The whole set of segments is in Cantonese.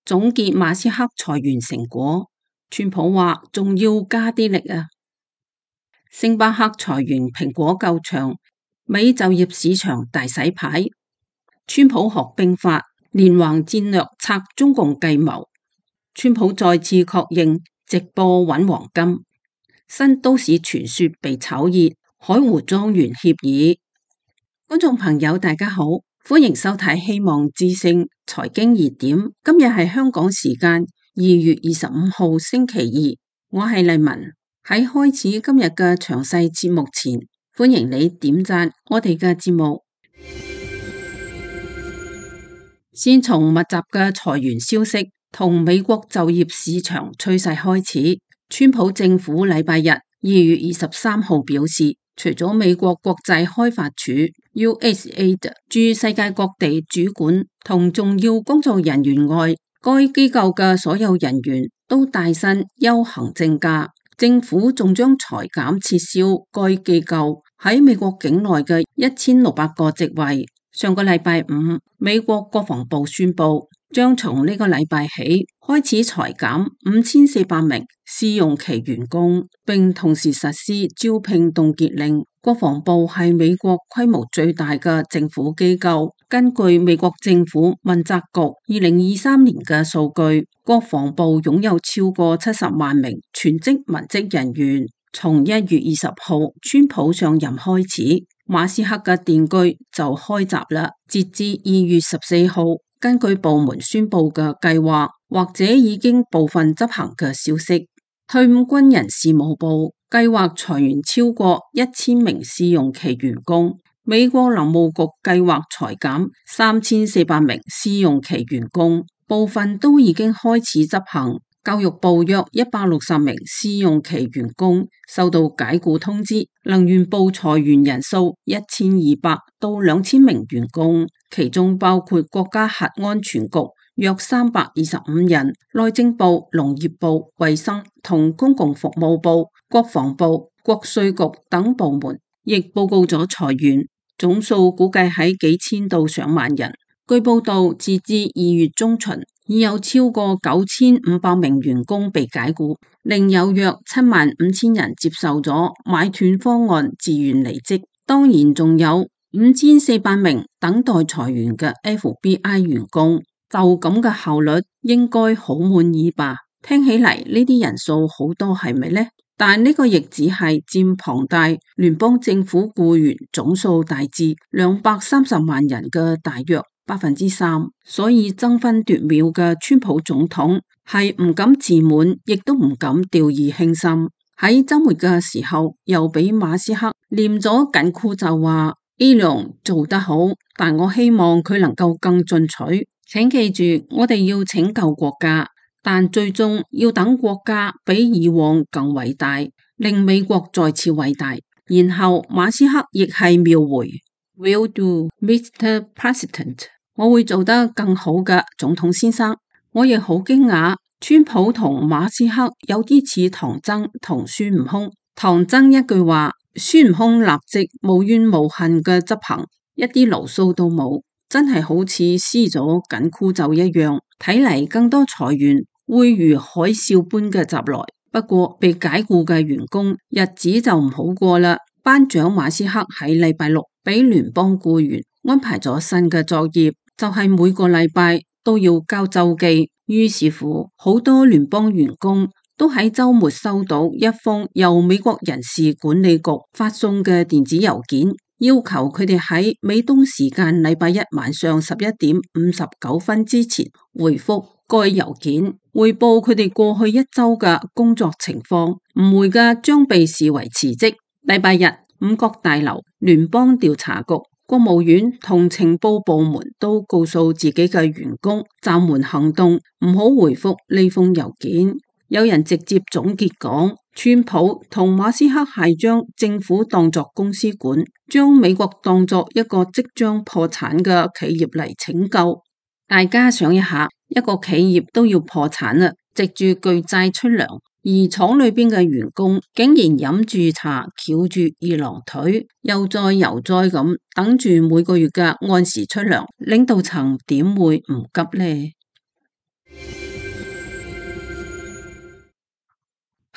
總結馬斯克裁員成果，川普話仲要加啲力啊！星巴克裁員，蘋果救場，美就業市場大洗牌。川普學兵法，連環戰略拆中共計謀。川普再次確認直播搵黃金。新都市傳說被炒熱，海湖莊園協議。觀眾朋友大家好，歡迎收睇希望之聲財經熱點。今日係香港時間2月25號星期二，我係麗文。喺開始今日嘅詳細節目前，歡迎你點讚我哋嘅節目。先從密集嘅裁員消息同美國就業市場趨勢開始。川普政府禮拜日2月23號表示，除咗美國國際開發署 USAID 駐世界各地主管同重要工作人員外，該機構嘅所有人員都帶薪休行政假。政府仲將裁減撤銷該機構喺美國境內嘅1600個職位。上個禮拜五，美國國防部宣布將從呢個禮拜起開始裁減5400名試用期員工，並同時實施招聘凍結令。國防部係美國規模最大嘅政府機構，根據美國政府問責局2023年嘅數據，國防部擁有超過70萬名全職文職人員。從1月20號川普上任開始，馬斯克嘅電鋸就開閘啦。截至2月14號，根據部門宣布嘅計劃或者已經部分執行嘅消息，退伍軍人事務部計劃裁員超過1000名試用期員工。美國林務局計劃裁減3400名試用期員工，部分都已經開始執行。教育部約160名試用期員工收到解僱通知，能源部裁員人數1200到2000名員工，其中包括國家核安全局約325人，內政部、農業部、衛生同公共服務部、國防部、國稅局等部門亦報告咗裁員，總數估計喺幾千到上萬人。據報道，截至2月中旬，已有超過9500名員工被解僱，另有約75000人接受咗買斷方案自願離職。當然仲有5400名等待裁員嘅 FBI 員工。就咁嘅效率，應該好滿意吧？聽起嚟呢啲人數好多係咪呢？但呢個亦只係佔龐大聯邦政府僱員總數大致230萬人嘅大約3%，所以爭分奪秒嘅川普總統係唔敢自滿，亦都唔敢掉以輕心。喺周末嘅時候，又俾馬斯克念咗緊箍咒話：Elon做得好，但我希望佢能夠更進取。請記住，我哋要拯救國家，但最終要等國家比以往更偉大，令美國再次偉大。然後馬斯克亦係秒回 Will do, Mr. President。我會做得更好嘅，總統先生。我亦好驚訝，川普同馬斯克有啲似唐僧同孫悟空。唐僧一句話，孫悟空立即無怨無恨嘅執行，一啲牢騷都冇，真係好似施咗緊箍咒一樣。睇嚟更多裁員會如海嘯般嘅襲來。不過被解僱嘅員工日子就唔好過啦。班長馬斯克喺禮拜六俾聯邦僱員安排咗新嘅作業，就係每個禮拜都要交週記。於是乎，好多聯邦員工都喺週末收到一封由美國人事管理局發送嘅電子郵件，要求佢哋喺美東時間禮拜一晚上11:59之前回覆該郵件，匯報佢哋過去一周嘅工作情況。唔回嘅將被視為辭職。禮拜日，五角大樓、聯邦調查局、國務院同情報部門都告訴自己嘅員工暫緩行動，唔好回覆呢封郵件。有人直接總結講，川普同馬斯克係將政府當作公司管，將美國當作一個即將破產嘅企業嚟拯救。大家想一下，一個企業都要破產啦，藉住巨債出糧，而廠裏邊嘅員工竟然飲住茶，翹住二郎腿，又再又再咁等住每個月嘅按時出糧，領導層點會唔急呢？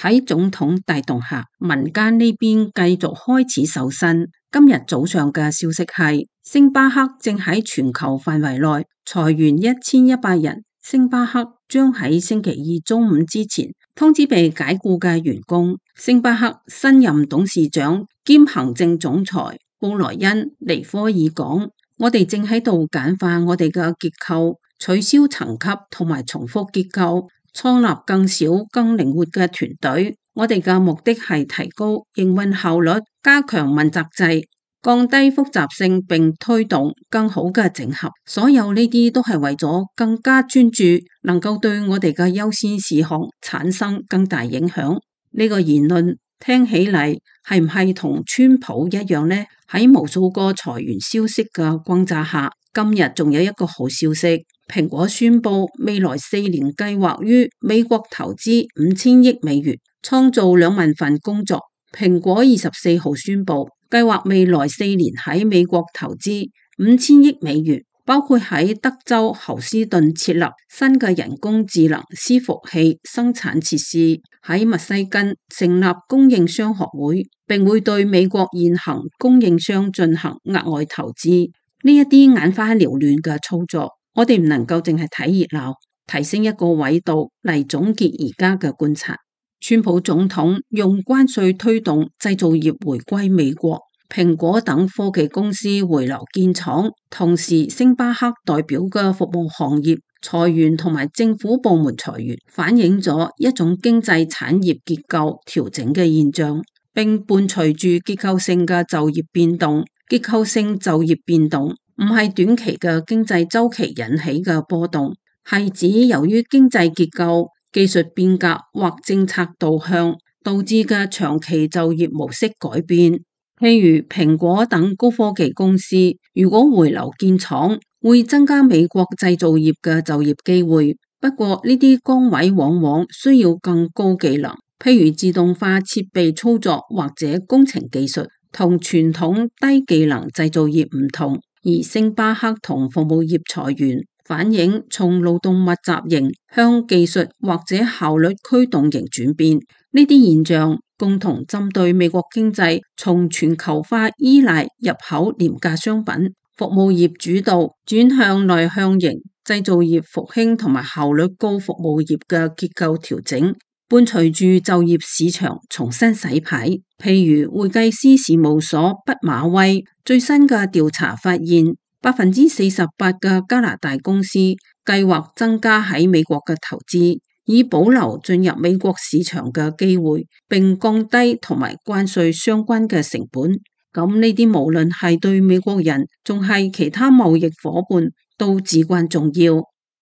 喺總統帶動下，民間呢邊繼續開始瘦身。今日早上嘅消息係，星巴克正喺全球範圍內裁員1100人。星巴克將喺星期二中午之前通知被解僱嘅員工。星巴克新任董事長兼行政總裁布萊恩尼科爾講：我哋正喺度簡化我哋嘅結構，取消層級同埋重複結構，創立更少更靈活嘅團隊。我哋嘅目的係提高營運效率，加強問責制，降低複雜性，並推動更好嘅整合。所有呢啲都係為咗更加專注，能夠對我哋嘅優先事項產生更大影響。呢個言論聽起嚟係唔係同川普一樣呢？喺無數個裁員消息嘅轟炸下，今日仲有一個好消息。蘋果宣布未來4年計劃於美國投資5000億美元，創造2萬份工作。蘋果24號宣布計劃未來4年喺美國投資5000億美元，包括喺德州侯斯頓設立新嘅人工智能伺服器生產設施，喺密西根成立供應商學會，並會對美國現行供應商進行額外投資。呢一啲眼花繚亂嘅操作，我哋唔能夠淨係睇熱鬧，提升一個維度嚟總結而家嘅觀察。川普總統用關稅推動製造業回歸美國，蘋果等科技公司回流建廠，同時星巴克代表嘅服務行業裁員同埋政府部門裁員，反映咗一種經濟產業結構調整嘅現象，並伴隨住結構性嘅就業變動。結構性就業變動唔係短期嘅經濟週期引起嘅波動，係指由於經濟結構、技術變革或政策導向導致嘅長期就業模式改變。譬如蘋果等高科技公司如果回流建廠，會增加美國製造業嘅就業機會。不過呢啲崗位往往需要更高技能，譬如自動化設備操作或者工程技術，同傳統低技能製造業唔同。而星巴克同服務業裁員，反映從勞動密集型向技術或者效率驅動型轉變。呢啲現象共同針對美國經濟從全球化依賴入口廉價商品、服務業主導轉向內向型製造業復興同埋效率高服務業嘅結構調整，伴隨住就業市場重新洗牌。譬如會計師事務所畢馬威最新嘅調查發現，48%嘅加拿大公司計劃增加喺美國嘅投資，以保留進入美國市場嘅機會，並降低同埋關稅相關嘅成本。咁呢啲無論係對美國人，仲係其他貿易夥伴，都至關重要。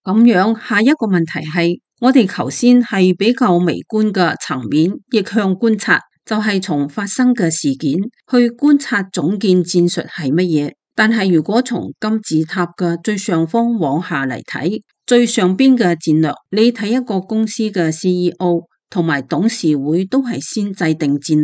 咁樣下一個問題係，我哋頭先係比較微觀嘅層面逆向觀察，就係從發生嘅事件去觀察總建戰術係乜嘢。但係如果從金字塔嘅最上方往下嚟睇，最上邊嘅戰略，你睇一個公司嘅 CEO 同埋董事會都係先制定戰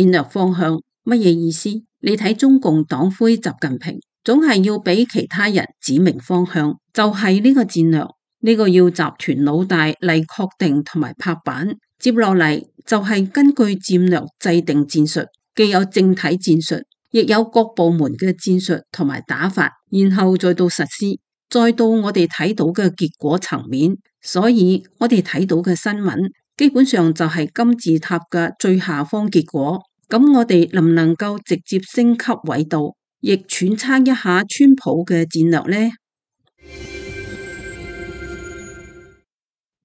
略方向，乜嘢意思？你睇中共黨魁習近平，總係要俾其他人指明方向，就係呢個戰略，呢個要集團老大嚟確定同埋拍板。接落嚟就係根據戰略制定戰術，既有正體戰術，亦有各部門嘅戰術同埋打法，然後再到實施，再到我哋睇到嘅結果層面。所以我哋睇到嘅新聞基本上就係金字塔嘅最下方結果。咁我哋能唔能夠直接升級緯度，亦揣測一下川普嘅戰略呢？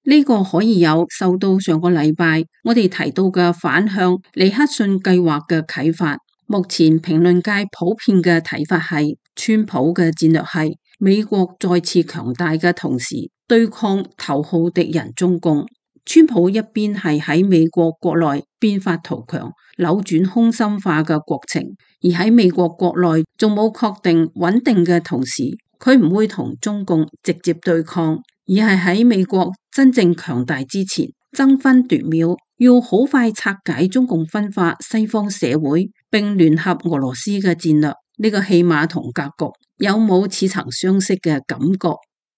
呢個可以有受到上個禮拜我哋提到嘅反向尼克遜計劃嘅啟發。目前評論界普遍嘅睇法係，川普嘅戰略係美國再次強大嘅同時，對抗頭號敵人中共。川普一邊係喺美國國內變法圖強，扭轉空心化嘅國情，而喺美國國內仲冇確定穩定嘅同時，佢唔會同中共直接對抗，而係喺美國真正強大之前爭分奪秒，要好快拆解中共分化西方社會並聯合俄羅斯嘅戰略。呢個戲碼同格局有冇似曾相識嘅感覺？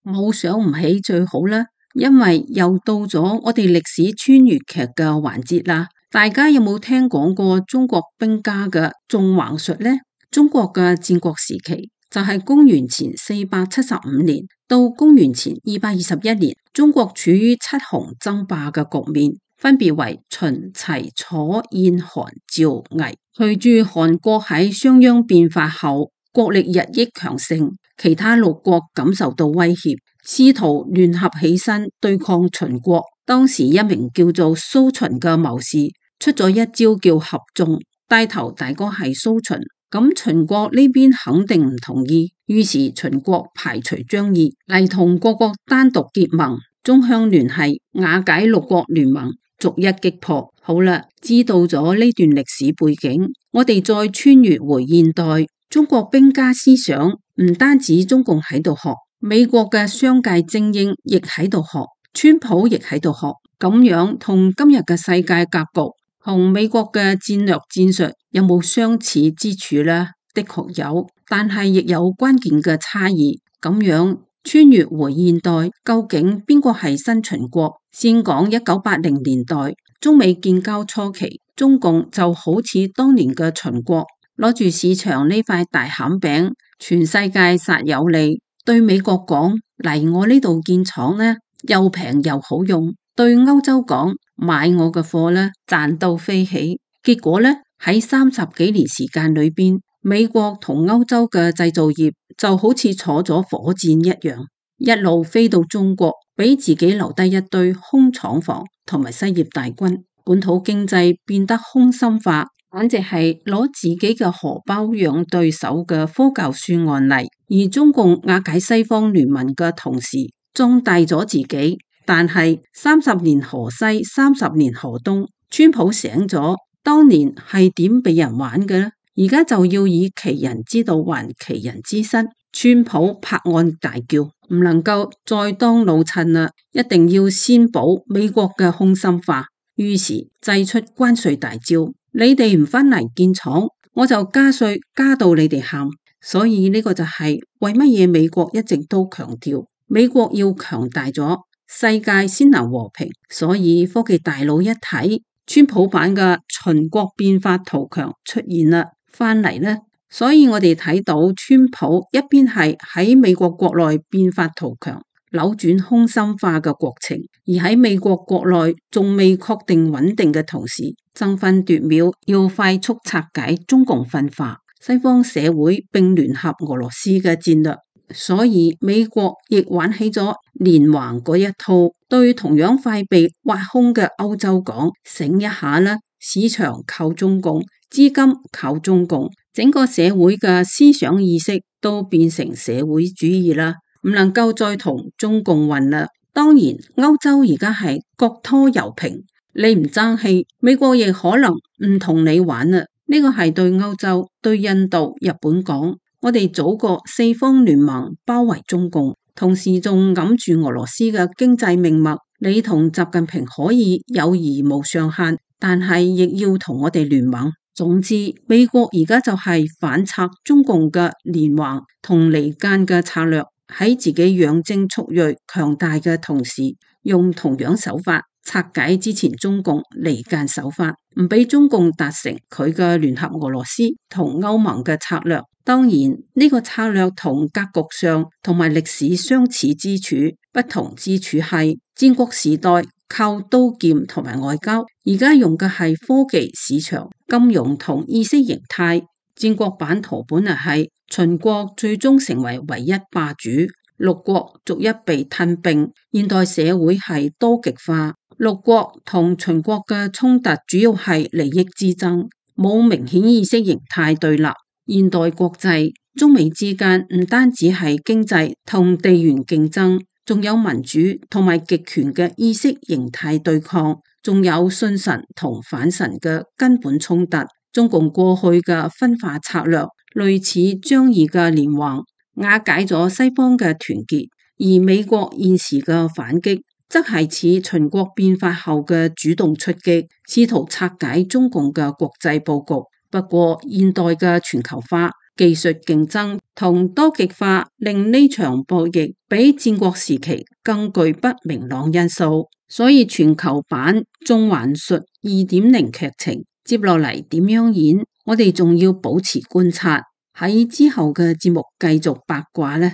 冇想唔起最好啦。因為又到咗我哋歷史穿越劇嘅環節啦。大家有冇聽講過中國兵家嘅縱橫術呢？中國嘅戰國時期就係公元前475年到公元前221年，中國處於七雄爭霸嘅局面，分別為秦、齊、楚、燕、韓、趙、魏。隨住韓國喺商鞅變法後國力日益強盛，其他六國感受到威脅，試圖聯合起身對抗秦國。當時一名叫做蘇秦嘅謀士出咗一招叫合縱，帶頭大哥係蘇秦，咁秦國呢邊肯定唔同意，於是秦國排除張儀嚟同各國單獨結盟，縱向聯繫，瓦解六國聯盟，逐一擊破。好啦，知道咗呢段歷史背景，我哋再穿越回現代，中國兵家思想唔單止中共喺度學，美國嘅商界精英亦喺度學，川普亦喺度學，咁樣同今日嘅世界格局同美國嘅戰略戰術有冇相似之處呢？的確有，但係亦有關鍵嘅差異。咁樣穿越回現代，究竟邊個係新秦國？先講1980年代中美建交初期，中共就好似當年嘅秦國，攞住市場呢塊大餡餅，全世界撒有利，對美國講嚟我呢度建廠呢，又平又好用，對歐洲講買我嘅貨呢，賺到飛起。結果呢，喺30幾年時間裏邊，美國同歐洲嘅製造業就好似坐咗火箭一樣，一路飛到中國，俾自己留低一堆空廠房同埋失業大軍，本土經濟變得空心化，簡直係攞自己嘅荷包養對手嘅科教書案例。而中共瓦解西方聯盟嘅同時，壯大咗自己。但係30年河西，30年河東，川普醒咗，當年係點俾人玩嘅呢？而家就要以其人之道還其人之身。川普拍案大叫，唔能夠再當老襯啦，一定要先補美國嘅空心化。於是祭出關稅大招，你哋唔返嚟建廠，我就加稅加到你哋喊。所以呢個就係為乜嘢美國一直都強調美國要強大咗，世界先能和平。所以科技大佬一睇，川普版嘅秦國變法圖強出現啦，翻嚟呢。所以我哋睇到川普一邊係喺美國國內變法圖強，扭轉空心化嘅國情，而喺美國國內仲未確定穩定嘅同時，爭分奪秒要快速拆解中共分化西方社會並聯合俄羅斯嘅戰略。所以美國亦玩起咗連環嗰一套，對同樣快被挖空嘅歐洲講，醒一下啦，市場靠中共，資金靠中共，整個社會嘅思想意識都變成社會主義啦，唔能夠再同中共混啦。當然歐洲而家係國拖油瓶，你唔爭氣，美國亦可能唔同你玩啦。呢個係對歐洲、對印度、日本講，我哋組個四方聯盟包圍中共，同時仲揞住俄羅斯嘅經濟命脈。你同習近平可以友誼無上限，但係亦要同我哋聯盟。總之，美國而家就係反拆中共嘅連環同離間嘅策略，喺自己養精蓄銳強大嘅同時，用同樣手法拆解之前中共離間手法，唔俾中共達成佢嘅聯合俄羅斯同歐盟嘅策略。當然呢個策略同格局上同埋歷史相似之處，不同之處係戰國時代靠刀劍同埋外交，而家用嘅係科技、市場、金融同意識形態。戰國版圖本嚟係秦國最終成為唯一霸主，六國逐一被吞併。現代社會係多極化，六國同秦國嘅衝突主要係利益之爭，冇明顯意識形態對立。現代國際，中美之間唔單止係經濟同地緣競爭，仲有民主同埋極權嘅意識形態對抗，仲有信神同反神嘅根本衝突。中共過去嘅分化策略類似張儀嘅連環，瓦解咗西方嘅團結，而美國現時嘅反擊則係似秦國變法後嘅主動出擊，試圖拆解中共嘅國際佈局。不過現代嘅全球化技術競爭同多極化令呢場博弈比戰國時期更具不明朗因素，所以全球版縱橫術2.0劇情接落嚟點樣演，我哋仲要保持觀察，喺之後嘅節目繼續八卦呢。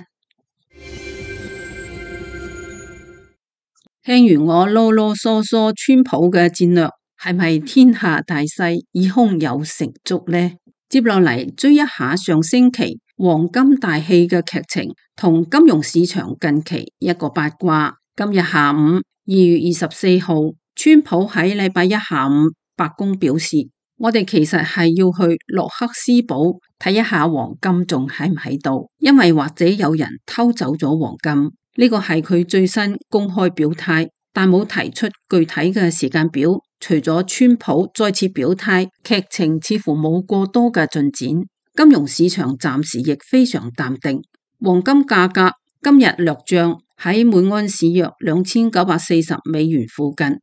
聽完我囉囉嗦嗦川普嘅戰略，係咪天下大勢已空有成竹呢？接落嚟追一下上星期黃金大戲嘅劇情同金融市場近期一個八卦。今日下午2月24號，川普喺禮拜一下午白宮表示，我哋其實係要去洛克斯堡睇一下黃金仲喺唔喺度，因為或者有人偷走咗黃金。呢個係佢最新公開表態，但冇提出具體嘅時間表。除咗川普再次表態，劇情似乎冇過多嘅進展。金融市場暫時亦非常淡定。黃金價格今日略漲，喺每盎司約$2940附近。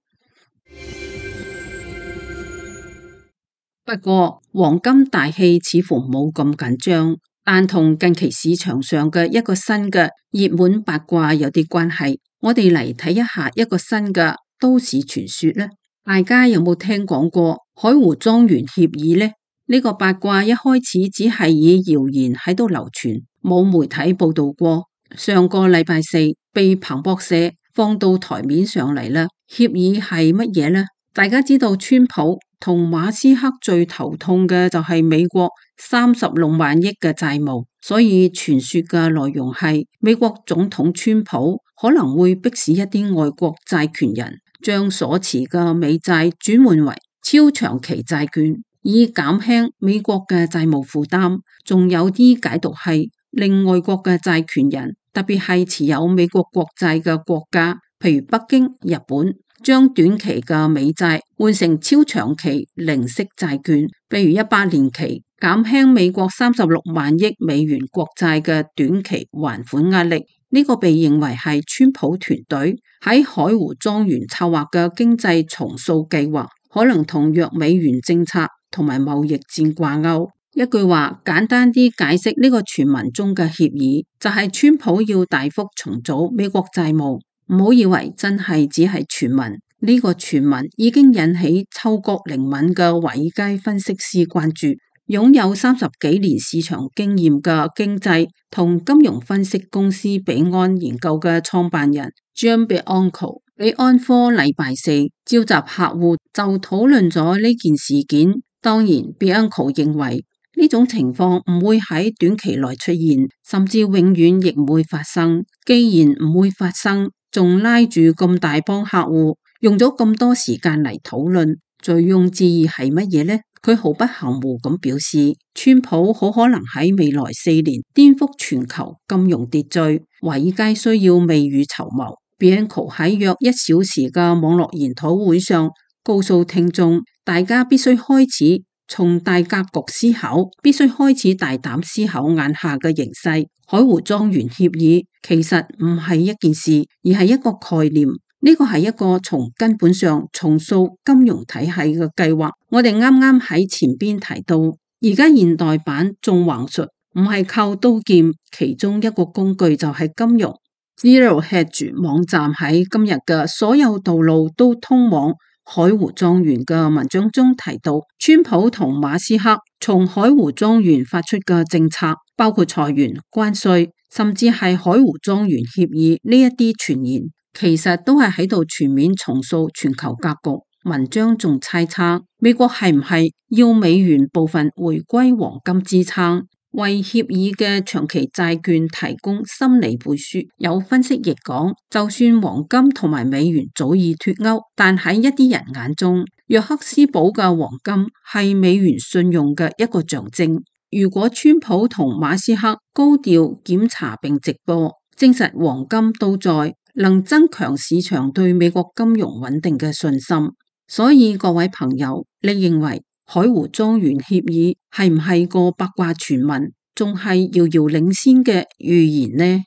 不過黃金大戲似乎冇咁緊張。但同近期市場上嘅一個新嘅熱門八卦有啲關係，我哋嚟睇一下一個新嘅都市傳說呢。大家有冇聽講過海湖莊園協議呢？呢個八卦一開始只係以謠言喺度流傳，冇媒體報道過。上個禮拜四被彭博社放到台面上嚟啦。協議係乜嘢呢？大家知道川普同馬斯克最頭痛嘅就係美國36萬億嘅債務，所以傳說嘅內容係美國總統川普可能會迫使一啲外國債權人將所持嘅美債轉換為超長期債券，以減輕美國嘅債務負擔。仲有啲解讀係令外國嘅債權人，特別係持有美國國債嘅國家，譬如北京、日本，將短期嘅美債換成超長期零息債券，比如100年期，減輕美國36萬億美元國債嘅短期還款壓力。呢個被認為係川普團隊喺海湖莊園策劃嘅經濟重塑計劃，可能同弱美元政策同埋貿易戰掛鈎。一句話簡單啲解釋呢個傳聞中嘅協議，就係川普要大幅重組美國債務。唔好以為真係只係傳聞，呢個傳聞已經引起嗅覺靈敏嘅華爾街分析師關注。擁有30幾年市場經驗嘅經濟同金融分析公司比安研究嘅創辦人 Jim Bianco 比安科禮拜四召集客戶就討論咗呢件事件。當然 Bianco 認為呢種情況唔會喺短期內出現，甚至永遠亦唔會發生。既然唔會發生，仲拉住咁大幫客戶，用咗咁多時間嚟討論，醉翁之意係乜嘢呢？佢毫不含糊咁表示，川普好可能喺未來4年顛覆全球金融秩序，華爾街需要未雨綢繆。Bianco 喺約1小時嘅網絡研討會上，告訴聽眾，大家必須開始從大格局思考，必須開始大膽思考眼下嘅形勢。海湖莊園協議其實唔係一件事，而係一個概念。呢個係一個從根本上重塑金融體系嘅計劃。我哋啱啱喺前邊提到，而家現代版縱橫術唔係靠刀劍，其中一個工具就係金融。Zero Hedge 網站喺今日嘅所有道路都通往海湖莊園嘅文章中提到，川普同馬斯克從海湖莊園發出嘅政策，包括裁員、關稅，甚至係海湖莊園協議呢一啲傳言，其實都係喺度全面重塑全球格局。文章仲猜測，美國係唔係要美元部分回歸黃金支撐，為協議嘅長期債券提供心理背書。有分析亦講，就算黃金同埋美元早已脫鈎，但喺一啲人眼中，約克斯堡嘅黃金係美元信用嘅一個象徵。如果川普同馬斯克高調檢查並直播，證實黃金都在，能增強市場對美國金融穩定嘅信心。所以各位朋友，你認為海湖莊園協議係唔係個八卦傳聞，仲係遙遙領先嘅預言呢？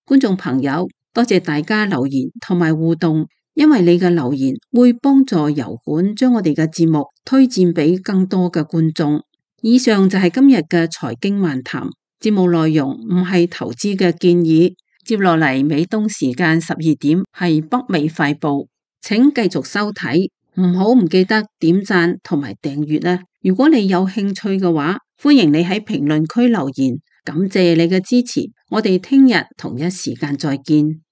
觀眾朋友，多謝大家留言同埋互動，因為你嘅留言會幫助油管將我哋嘅節目推薦俾更多嘅觀眾。以上就係今日嘅財經漫談，節目內容唔係投資嘅建議。接落嚟美東時間12點係北美快報，請繼續收睇，唔記得點讚同埋訂閱啦。如果你有興趣嘅話，歡迎你喺評論區留言，感謝你嘅支持。我哋聽日同一時間再見。